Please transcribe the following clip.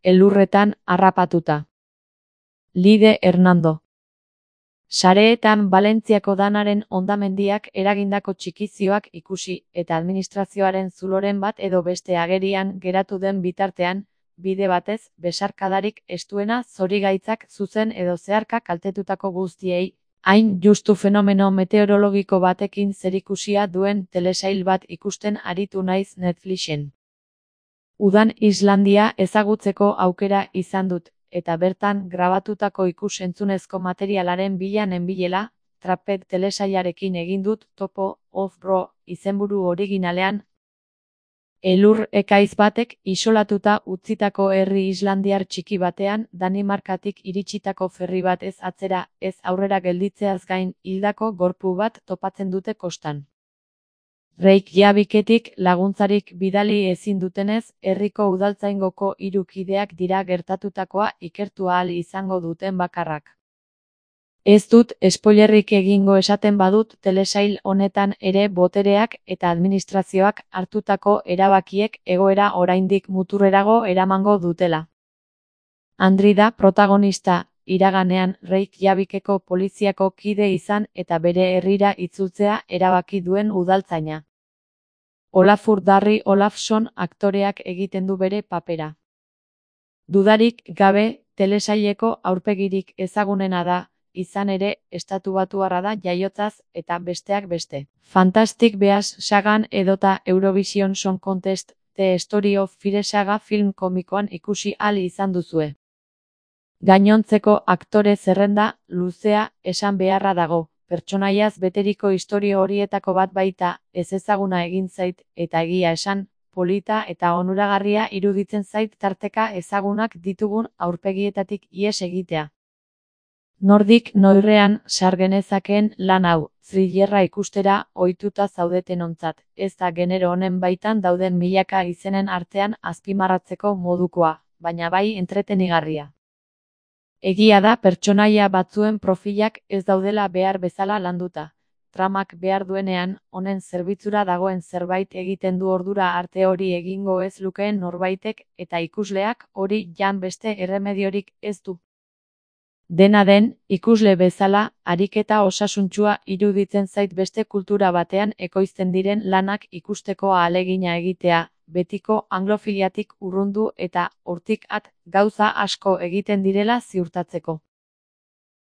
elurretan harrapatuta. Lide Hernando. Sareetan Valentziako danaren hondamendiak eragindako txikizioak ikusi eta administrazioaren zuloren bat edo beste agerian geratu den bitartean, bide batez, besarkadarik estuena zorigaitzak zuzen edo zeharka kaltetutako guztiei, hain justu fenomeno meteorologiko batekin zerikusia duen telesail bat ikusten aritu naiz Netflixen. Udan Islandia ezagutzeko aukera izan dut, eta bertan grabatutako ikus-entzunezko materialaren bila nenbilela, Trapped telesailarekin egin dut topo off-bro izenburu originalean. Elur ekaiz batek isolatuta utzitako herri islandiar txiki batean Danimarkatik iritsitako ferri bat ez atzera, ez aurrera gelditzeaz gain hildako gorpu bat topatzen dute kostan. Reykjavíketik laguntzarik bidali ezin dutenez, herriko udaltzaingoko 3 kideak dira gertatutakoa ikertu ahal izango duten bakarrak. Ez dut spoilerrik egingo esaten badut telesail honetan ere botereak eta administrazioak hartutako erabakiek egoera oraindik muturrerago eramango dutela. Andri da protagonista, iraganean Reykjavíkeko poliziako kide izan eta bere herrira itzultzea erabaki duen udaltzaina. Olafur Darri Olafsson aktoreak egiten du bere papera. Dudarik gabe, telesaileko aurpegirik ezagunena da, izan ere, estatubatuarra da jaiotzaz eta besteak beste. Fantastic Beasts sagan edota Eurovision Song Contest, The Story of Fire saga film komikoan ikusi ahal izan duzue. Gainontzeko aktore zerrenda, luzea, esan beharra dago. Pertsonaiaz beteriko istorio horietako bat baita, ez ezaguna egin zait, eta egia esan, polita eta onuragarria iruditzen zait tarteka ezagunak ditugun aurpegietatik ihes egitea. Nordik noirrean sar genezakeen lan hau, thrillerra ikustera ohituta zaudetenontzat, ez da genero honen baitan dauden milaka izenen artean azpimarratzeko modukoa, baina bai entretenigarria. Egia da pertsonaia batzuen profilak ez daudela behar bezala landuta. Tramak behar duenean, honen zerbitzura dagoen zerbait egiten du ordura arte hori egingo ez lukeen norbaitek eta ikusleak hori jan beste erremediorik ez du. Dena den, ikusle bezala, ariketa osasuntsua iruditzen zait beste kultura batean ekoizten diren lanak ikusteko ahalegina egitea, betiko anglofiliatik urrundu eta hortik at gauza asko egiten direla ziurtatzeko.